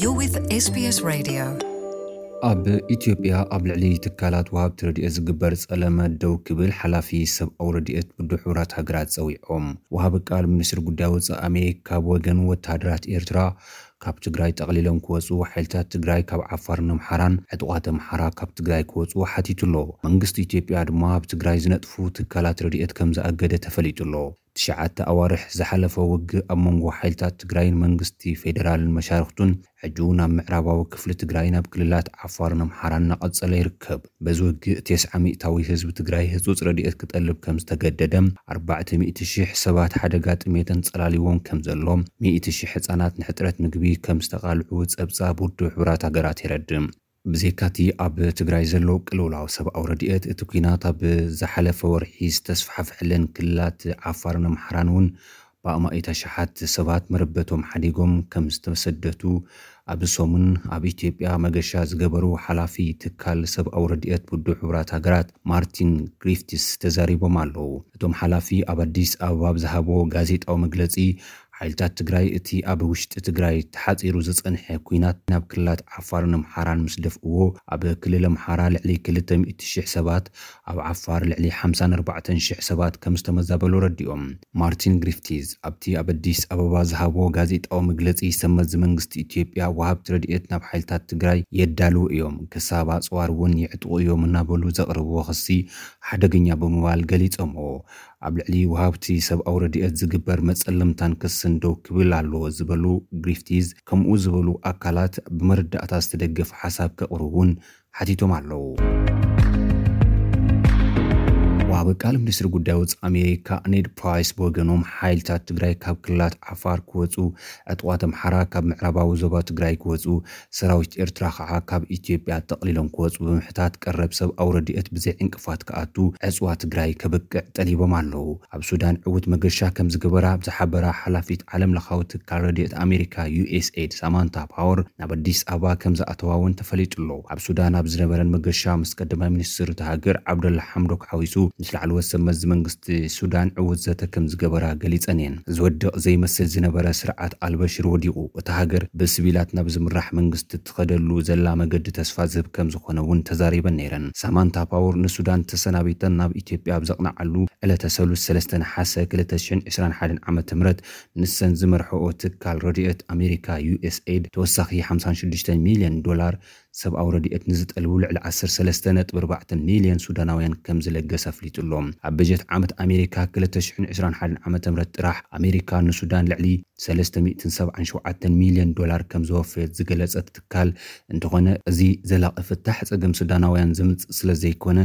You're with S B S Radio. ኣብ ኢትዮጵያ ኣብ ልዕሊ ትካላት ወሃብቲ ረድኤት ዝግበር ጸለመ ደው ክብል ሓላፊ ሰብኣዊ ረድኤት ውድብ ሕቡራት ሃገራት ጸዊዖም። ወሃቢ ቃል ሚኒስትሪ ጉዳይ ወጻኢ ኣሜሪካ ብወገኑ ወተሃደራት ኤርትራ ካብ ትግራይ ጠቕሊሎም ክወጹ፣ ሓይልታት ትግራይ ካብ ዓፋርን ኣምሓራን፣ ዕጡቓት ኣምሓራ ካብ ትግራይ ክወጹ ሓቲቱ ኣሎ። መንግስቲ ኢትዮጵያ ድማ ኣብ ትግራይ ዝነጥፉ ትካላት ረድኤት ከም ዝኣገደ ተፈሊጡ ኣሎ። ትሽዓተ ኣዋርሕ ዝሓለፈ ውግእ ኣብ መንጎ ሓይልታት ትግራይን መንግስቲ ፌደራልን መሻርኽቱን ሕጂ እውን ኣብ ምዕራባዊ ክፍሊ ትግራይን ኣብ ክልላት ዓፋርን ኣምሓራን እናቐጸለ ይርከብ። በዚ ውግእ ተስዓ ሚእታዊ ህዝቢ ትግራይ ህጹጽ ረድኤት ክጠልብ ከም ዝተገደደ፣ ኣርባዕተ ሚእቲ ሺሕ ሰባት ሓደጋ ጥሜት ኣንጸላልዎም ከም ዘሎ፣ ሚእቲ ሺሕ ህጻናት ንሕጽረት ምግቢ ከም ዝተቓልዑ ጸብጻብ ውድብ ሕቡራት ሃገራት የረድእ። ብዘይካቲ ኣብ ትግራይ ዘሎ ቅልውላው ሰብኣዊ ረድኤት፣ እቲ ኲናት ኣብ ዝሓለፈ ወርሒ ዝተስፋሕፈሐለን ክልላት ዓፋርን ኣምሓራን እውን ብኣማኢት ኣሽሓት ሰባት መረበቶም ሓዲጎም ከም ዝተሰደቱ ኣብ ሰሙን ኣብ ኢትዮጵያ መገሻ ዝገበሩ ሓላፊ ትካል ሰብኣዊ ረድኤት ውድብ ሕቡራት ሃገራት ማርቲን ግሪፍቲስ ተዛሪቦም ኣለዉ። እቶም ሓላፊ ኣብ ኣዲስ ኣበባ ኣብ ዝሃብዎ ጋዜጣዊ መግለጺ፣ ሓይልታት ትግራይ እቲ ኣብ ውሽጢ ትግራይ ተሓጺሩ ዝጸንሐ ኲናት ናብ ክልላት ዓፋርን ኣምሓራን ምስ ደፍእዎ፣ ኣብ ክልል ኣምሓራ ልዕሊ ክልተ ሚእቲ ሺሕ ሰባት፣ ኣብ ዓፋር ልዕሊ ሓምሳን ኣርባዕተን ሺሕ ሰባት ከም ዝተመዛበሉ ረዲኦም። ማርቲን ግሪፍቲዝ ኣብቲ ኣብ ኣዲስ ኣበባ ዝሃቦ ጋዜጣዊ መግለጺ፣ ሰመዚ መንግስቲ ኢትዮጵያ ወሃብቲ ረድኤት ናብ ሓይልታት ትግራይ የዳልዉ እዮም፣ ክሳብ ኣጽዋር እውን የዕጥቑ እዮም እናበሉ ዘቕርብዎ ክሲ ሓደገኛ ብምባል ገሊጾምዎ። ኣብ ልዕሊ ወሃብቲ ሰብኣዊ ረድኤት ዝግበር መጸለምታን ክስን ደው ክብል ኣለዎ ዝበሉ ግሪፍቲዝ፣ ከምኡ ዝበሉ ኣካላት ብመረዳእታ ዝተደገፈ ሓሳብ ከቕርቡ እውን ሓቲቶም ኣለዉ። ወሃቢ ቃል ሚኒስትሪ ጉዳይ ወጻኢ ኣሜሪካ ኔድ ፕራይስ ብወገኖም፣ ሓይልታት ትግራይ ካብ ክልላት ዓፋር ክወጹ፣ ዕጡቓት ኣምሓራ ካብ ምዕራባዊ ዞባ ትግራይ ክወጹ፣ ሰራዊት ኤርትራ ከዓ ካብ ኢትዮጵያ ጠቕሊሎም ክወጹ ብምሕታት፣ ቀረብ ሰብኣዊ ረድኤት ብዘይ ዕንቅፋት ክኣቱ ዕጽዋ ትግራይ ከብቅዕ ጠሊቦም ኣለዉ። ኣብ ሱዳን ዕዉት መገሻ ከም ዝገበራ ኣብ ዝሓበራ ሓላፊት ዓለም ለኻዊ ትካል ረድኤት ኣሜሪካ ዩ ኤስ ኤድ ሳማንታ ፓወር ናብ ኣዲስ ኣበባ ከም ዝኣተዋ እውን ተፈሊጡ ኣሎ። ኣብ ሱዳን ኣብ ዝነበረን መገሻ ምስ ቀዳማይ ሚኒስትር እታ ሃገር ዓብደላ ሓምዶክ ሓዊሱ ምስ ላዕለዎት ሰብ መዚ መንግስቲ ሱዳን ዕዉት ዘተ ከም ዝገበራ ገሊጸን እየን። ዝወድቕ ዘይመስል ዝነበረ ስርዓት ኣልበሽር ወዲቑ፣ እታ ሃገር ብስቪላት ናብ ዝምራሕ መንግስቲ ትኸደሉ ዘላ መገዲ ተስፋ ዝህብ ከም ዝኾነ እውን ተዛሪበን ነይረን። ሳማንታ ፓወር ንሱዳን ተሰናቢተን ናብ ኢትዮጵያ ኣብ ዘቕንዓሉ ዕለተ ሰሉስ ሰለስተ ነሓሰ ክልተ ሽሕን ዕስራን ሓደን ዓመተ ምህረት ንሰን ዝመርሕኦ ትካል ረድኤት ኣሜሪካ ዩ ኤስ ኤድ ተወሳኺ ሓምሳን ሽዱሽተ ሚልዮን ዶላር ሰብኣዊ ረድኤት ንዝጠልቡ ልዕሊ ዓሰርተ ሰለስተ ነጥቢ ኣርባዕተ ሚልዮን ሱዳናውያን ከም ዝለገሰ ኣፍሊጡ ኣሎ። ኣብ በጀት ዓመት ኣሜሪካ ክልተ ሽሕን ዕስራን ሓደን ዓመተ ምህረት ጥራሕ ኣሜሪካ ንሱዳን ልዕሊ ሰለስተ ሚእትን ሰብዓን ሸውዓተን ሚልዮን ዶላር ከም ዘወፈየት ዝገለጸት ትካል እንተኾነ፣ እዚ ዘላቒ ፍታሕ ጸገም ሱዳናውያን ዝምጽእ ስለ ዘይኮነ፣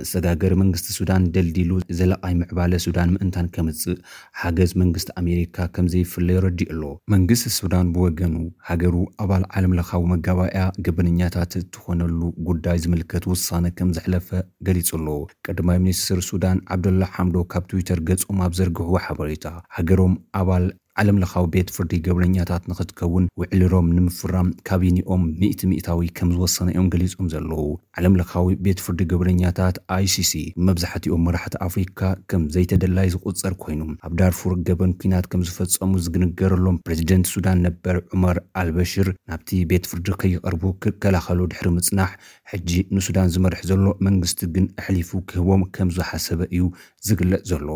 መሰጋገሪ መንግስቲ ሱዳን ደልዲሉ ዘላቓይ ምዕባለ ሱዳን ምእንታን ከምጽእ ሓገዝ መንግስቲ ኣሜሪካ ከም ዘይፍለ የረዲእ ኣሎ። መንግስቲ ሱዳን ብወገኑ፣ ሃገሩ ኣባል ዓለም ለኻዊ መጋባእያ ገበነኛታት እትኾነሉ ጉዳይ ዝምልከት ውሳነ ከም ዘሕለፈ ገሊጹ ኣሎ። ቀዳማይ ሚኒስትር ሱዳን ዓብደላ ሓምዶክ ካብ ትዊተር ገጾም ኣብ ዘርግሕዎ ሓበሬታ፣ ሃገሮም ኣባል ዓለም ለኻዊ ቤት ፍርዲ ገበነኛታት ንኽትከውን ውዕል ሮም ንምፍራም ካቢኒኦም ሚእቲ ሚእታዊ ከም ዝወሰነ እዮም ገሊጾም ዘለዉ። ዓለም ለኻዊ ቤት ፍርዲ ገበነኛታት ኣይ ሲ ሲ መብዛሕትኦም መራሕቲ ኣፍሪካ ከም ዘይተደላይ ዝቑጸር ኮይኑ፣ ኣብ ዳርፉር ገበን ኲናት ከም ዝፈጸሙ ዝግንገረሎም ፕሬዚደንት ሱዳን ነበር ዑመር ኣልበሽር ናብቲ ቤት ፍርዲ ከይቐርቡ ክከላኸሉ ድሕሪ ምጽናሕ፣ ሕጂ ንሱዳን ዝመርሕ ዘሎ መንግስቲ ግን ኣሕሊፉ ክህቦም ከም ዝሓሰበ እዩ ዝግለጽ ዘሎ።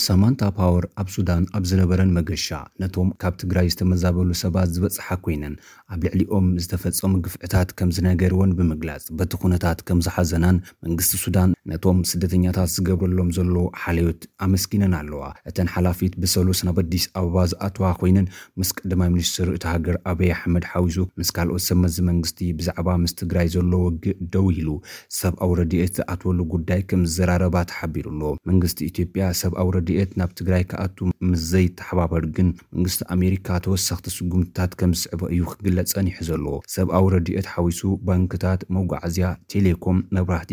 ሳማንታ ፓወር ኣብ ሱዳን ኣብ ዝነበረን መገሻ፣ ነቶም ካብ ትግራይ ዝተመዛበሉ ሰባት ዝበጽሓ ኮይነን፣ ኣብ ልዕሊኦም ዝተፈጸሙ ግፍዕታት ከም ዝነገርወን ብምግላጽ፣ በቲ ኩነታት ከም ዝሓዘናን መንግስቲ ሱዳን ነቶም ስደተኛታት ዝገብረሎም ዘሎ ሓልዮት ኣመስጊነን ኣለዋ። እተን ሓላፊት ብሰሉስ ናብ ኣዲስ ኣበባ ዝኣተዋ ኮይነን፣ ምስ ቀዳማይ ሚኒስትር እታ ሃገር ኣበይ ኣሕመድ ሓዊሱ ምስ ካልኦት ሰብ መዚ መንግስቲ ብዛዕባ ምስ ትግራይ ዘሎ ውግእ ደው ኢሉ ሰብኣዊ ረድኤት ዝኣትወሉ ጉዳይ ከም ዝዘራረባ ተሓቢሩ ኣሎ። መንግስቲ ኢትዮጵያ ሰብኣዊ ረድኤት ናብ ትግራይ ክኣቱ ምስ ዘይተሓባበር ግን፣ መንግስቲ ኣሜሪካ ተወሰኽቲ ስጉምትታት ከም ዝስዕቦ እዩ ክግለጽ ጸኒሑ ዘሎ። ሰብኣዊ ረድኤት ሓዊሱ ባንክታት፣ መጓዓዝያ፣ ቴሌኮም፣ መብራህቲ፣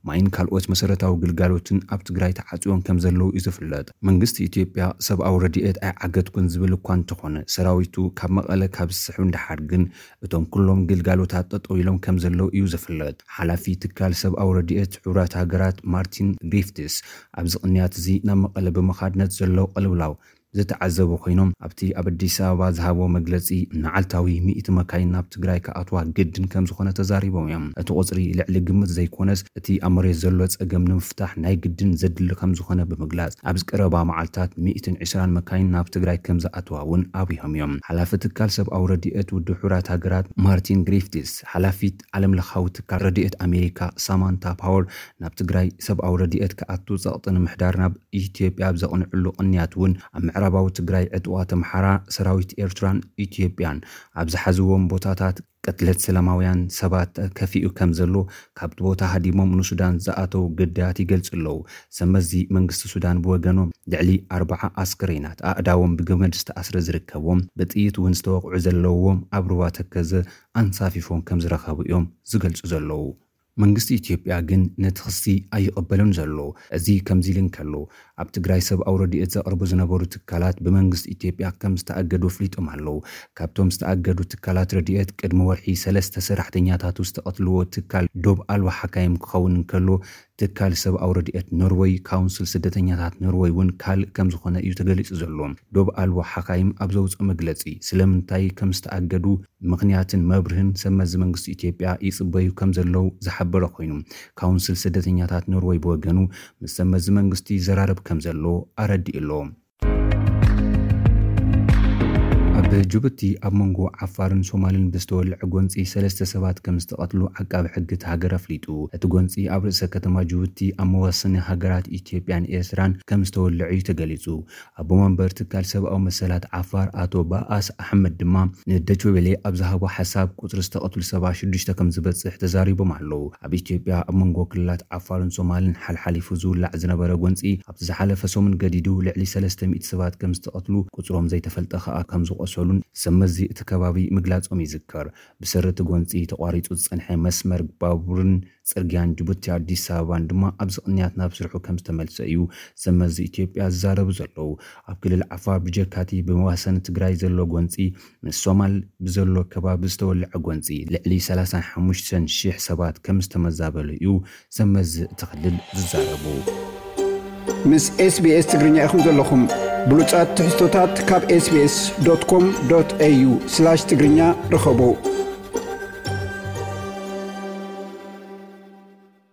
ማይን ካልኦት መሰረታዊ ግልጋሎትን ኣብ ትግራይ ተዓጽዮም ከም ዘለዉ እዩ ዝፍለጥ። መንግስቲ ኢትዮጵያ ሰብኣዊ ረድኤት ኣይዓገትኩን ዝብል እኳ እንተኾነ፣ ሰራዊቱ ካብ መቐለ ካብ ዝስሕብ ንደሓር ግን፣ እቶም ኩሎም ግልጋሎታት ጠጠው ኢሎም ከም ዘለዉ እዩ ዝፍለጥ። ሓላፊ ትካል ሰብኣዊ ረድኤት ሕቡራት ሃገራት ማርቲን ግሪፍትስ ኣብዚ ቅንያት እዚ ናብ መቐለ ብምኻድ ነቲ ዘሎ ቅልውላው ዝተዓዘቡ ኮይኖም፣ ኣብቲ ኣብ ኣዲስ ኣበባ ዝሃቦ መግለጺ፣ መዓልታዊ ሚእቲ መካይን ናብ ትግራይ ክኣትዋ ግድን ከም ዝኾነ ተዛሪቦም እዮም። እቲ ቁጽሪ ልዕሊ ግምት ዘይኮነስ፣ እቲ ኣብ መሬት ዘሎ ጸገም ንምፍታሕ ናይ ግድን ዘድሊ ከም ዝኾነ ብምግላጽ፣ ኣብዚ ቀረባ መዓልታት ሚእትን ዕስራን መካይን ናብ ትግራይ ከም ዝኣትዋ እውን ኣብሪሆም እዮም። ሓላፊ ትካል ሰብኣዊ ረድኤት ውድብ ሕቡራት ሃገራት ማርቲን ግሪፍቲስ፣ ሓላፊት ዓለም ለኻዊ ትካል ረድኤት ኣሜሪካ ሳማንታ ፓወር፣ ናብ ትግራይ ሰብኣዊ ረድኤት ክኣቱ ጸቕጢ ንምሕዳር ናብ ኢትዮጵያ ኣብ ዘቕንዕሉ ቅንያት እውን፣ ኣብ ምዕራባዊ ትግራይ ዕጥዋት ኣምሓራ ሰራዊት ኤርትራን ኢትዮጵያን ኣብ ዝሓዝዎም ቦታታት ቅትለት ሰላማውያን ሰባት ከፊኡ ከም ዘሎ፣ ካብቲ ቦታ ሃዲሞም ንሱዳን ዝኣተው ግዳያት ይገልጹ ኣለዉ። ሰመዚ መንግስቲ ሱዳን ብወገኖም፣ ልዕሊ ኣርባዓ ኣስከሬናት፣ ኣእዳዎም ብገመድ ዝተኣስረ ዝርከብዎም፣ ብጥይት እውን ዝተወቕዑ ዘለውዎም፣ ኣብ ሩባ ተከዘ ኣንሳፊፎም ከም ዝረኸቡ እዮም ዝገልጹ ዘለዉ። መንግስቲ ኢትዮጵያ ግን ነቲ ክሲ ኣይቕበልን ዘሎ። እዚ ከምዚ ኢሉ እንከሎ፣ ኣብ ትግራይ ሰብኣዊ ረድኤት ዘቕርቡ ዝነበሩ ትካላት ብመንግስቲ ኢትዮጵያ ከም ዝተኣገዱ ኣፍሊጦም ኣለዉ። ካብቶም ዝተኣገዱ ትካላት ረድኤት፣ ቅድሚ ወርሒ ሰለስተ ሰራሕተኛታቱ ዝተቐትልዎ ትካል ዶብ ኣልቦ ሓካይም ክኸውን እንከሎ፣ ትካል ሰብኣዊ ረድኤት ኖርወይ፣ ካውንስል ስደተኛታት ኖርወይ እውን ካልእ ከም ዝኾነ እዩ ተገሊጹ ዘሎ። ዶብ ኣልቦ ሓካይም ኣብ ዘውፅኦ መግለጺ፣ ስለምንታይ ከም ዝተኣገዱ ምኽንያትን መብርህን ሰመዚ መንግስቲ ኢትዮጵያ ይጽበዩ ከም ዘለዉ ዝሓበረ ኮይኑ፣ ካውንስል ስደተኛታት ኖርወይ ብወገኑ፣ ምስ ሰመዚ መንግስቲ ይዘራረብ ከም ዘሎ ኣረዲኡ ኣሎ። ኣብ ጅቡቲ፣ ኣብ መንጎ ዓፋርን ሶማልን ብዝተወልዐ ጎንጺ ሰለስተ ሰባት ከም ዝተቐትሉ ዓቃቢ ሕጊ እቲ ሃገር ኣፍሊጡ። እቲ ጎንጺ ኣብ ርእሰ ከተማ ጅቡቲ፣ ኣብ መዋሰኒ ሃገራት ኢትዮጵያን ኤርትራን ከም ዝተወልዐ እዩ ተገሊጹ። ኣቦ መንበር ትካል ሰብኣዊ መሰላት ዓፋር፣ ኣቶ ባኣስ ኣሕመድ ድማ ንደችዌሌ ኣብ ዝሃቦ ሓሳብ፣ ቁጽሪ ዝተቐትሉ ሰባት ሽዱሽተ ከም ዝበጽሕ ተዛሪቦም ኣለዉ። ኣብ ኢትዮጵያ፣ ኣብ መንጎ ክልላት ዓፋርን ሶማልን ሓልሓሊፉ ዝውላዕ ዝነበረ ጎንጺ፣ ኣብቲ ዝሓለፈ ሰሙን ገዲዱ ልዕሊ ሰለስተ ሚእቲ ሰባት ከም ዝተቐትሉ፣ ቁጽሮም ዘይተፈልጠ ከኣ ከም ዝቖሰሉን ሰመዚ እቲ ከባቢ ምግላጾም ይዝከር። ብሰሪ እቲ ጎንጺ ተቋሪጹ ዝጸንሐ መስመር ባቡርን ጽርግያን ጅቡቲ ኣዲስ ኣበባን ድማ ኣብዚ ቅንያት ናብ ስርሑ ከም ዝተመልሰ እዩ ሰመዚ ኢትዮጵያ ዝዛረቡ ዘለዉ። ኣብ ክልል ዓፋር ብጀካቲ ብመዋሰኒ ትግራይ ዘሎ ጎንጺ፣ ምስ ሶማል ብዘሎ ከባቢ ዝተወልዐ ጎንጺ፣ ልዕሊ ሰላሳን ሓሙሽተን ሽሕ ሰባት ከም ዝተመዛበሉ እዩ ሰመዚ እቲ ክልል ዝዛረቡ። ምስ ኤስቢኤስ ትግርኛ ኢኹም ዘለኹም። ብሉጻት ትሕዝቶታት ካብ ኤስቢኤስ ዶት ኮም ዶት ኤዩ ስላሽ ትግርኛ ርኸቡ።